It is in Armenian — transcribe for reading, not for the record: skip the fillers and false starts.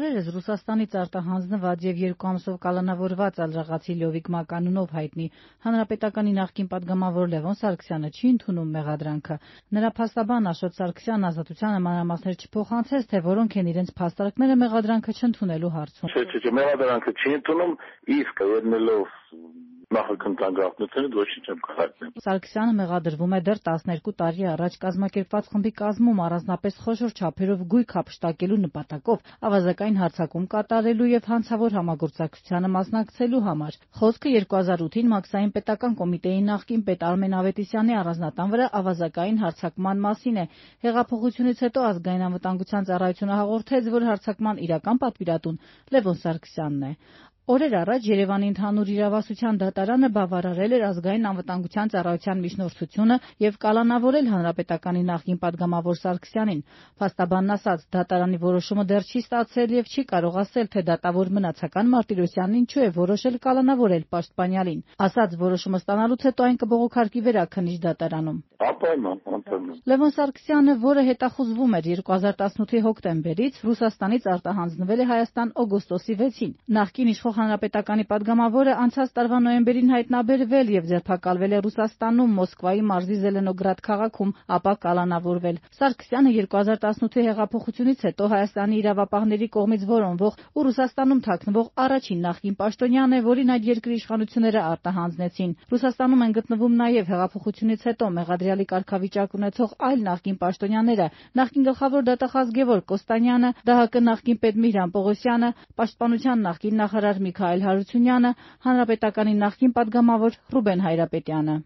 Օրերս Ռուսաստանից արտահանձնված եւ 2 ամսով կալանավորված ալժաղացի Լյովիկ Մականունով հայտնի Հանրապետականի նախկին պատգամավոր Լևոն Սարգսյանը չի ընդունում մեղադրանքը։ Նրա փաստաբան Աշոտ Սարգսյանն Ազատությանը մանրամասներ չփոխանցեց, թե որոնք են իրենց փաստարկները մեղադրանքը չընդունելու հարցում։ Չէ, մեղադրանքը չի ընդունում, իսկ ելնելով նախաքննության գաղտնիքներից ոչինչ չեմ կհայտնել։ Սարգսյանը մեղադրվում է դեռ 12 տարի առաջ կազմակերպված խմբի կազմում առանձնապես խոշոր չափերով գույք հափշտակելու նպատակով ավազակային հարձակում կատարելու եւ հանցավոր համագործակցությանը մասնակցելու համար։ Խոսքը 2008-ին Մաքսային պետական կոմիտեի նախկին պետ Արմեն Ավետիսյանի առանձնատան վրա ավազակային հարձակման մասին է։ Հեղափոխությունից հետո ազգային անվտանգության ծառայությունը հաղորդեց, որ հարձակման իրական պատվիրատուն Լևոն Սարգսյանն է։ Օրեր առաջ Երևանի ընդհանուր իրավասության դատարանը բավարարել էր ազգային անվտանգության ծառայության միջնորդությունը եւ կալանավորել հանրապետականի նախկին պատգամավոր Սարգսյանին։ Փաստաբանն ասաց, դատարանի որոշումը դեռ չի ստացել եւ չի կարող ասել, թե դատավոր մնացական Մարտիրոսյանն ինչու է որոշել կալանավորել պաշտպանյալին։ Ասաց, որոշումը ստանալուց հետո այն կբողոքարկի վերաքննիչ դատարանում։ Անպայման։ Լևոն Սարգսյանը, որը հետախուզվում էր 2018-ի հոկտեմբերից, Ռուսաստանից արտահանձնվել է Հայաստան օգոստոսի 6-ին։ Նախկին իշխող հանրապետականի պատգամավորը անցած տարվա նոյեմբերին հայտնաբերվել եւ ձերբակալվել է Ռուսաստանում Մոսկվայի մարզի Զելենոգրադ քաղաքում, ապա կալանավորվել։ Սարգսյանը 2018-ի հեղափոխությունից հետո Հայաստանի իրավապահների կողմից որոնվող ու Ռուսաստանում թաքնվող առաջին նախկին պաշտոնյան է, որին այդ երկրի իշխանությունները արտահանձնեցին։ Ռուսաստանում են գտնվում նաեւ հեղափոխությունից հետո մեղադրյալի կարգավիճակ ունեցող այլ նախկին պաշտոնյաները՝ նախկին գլխավոր դատախազ Գևորգ Կոստանյանը, ԴՀԿ նախկին պետ Միհրան Պողոսյանը, Պաշտպանության նախկին նախարար Միքայել Հարությունյանը, Հանրապետականի նախկին պատգամավոր Ռուբեն Հայրապետյանը։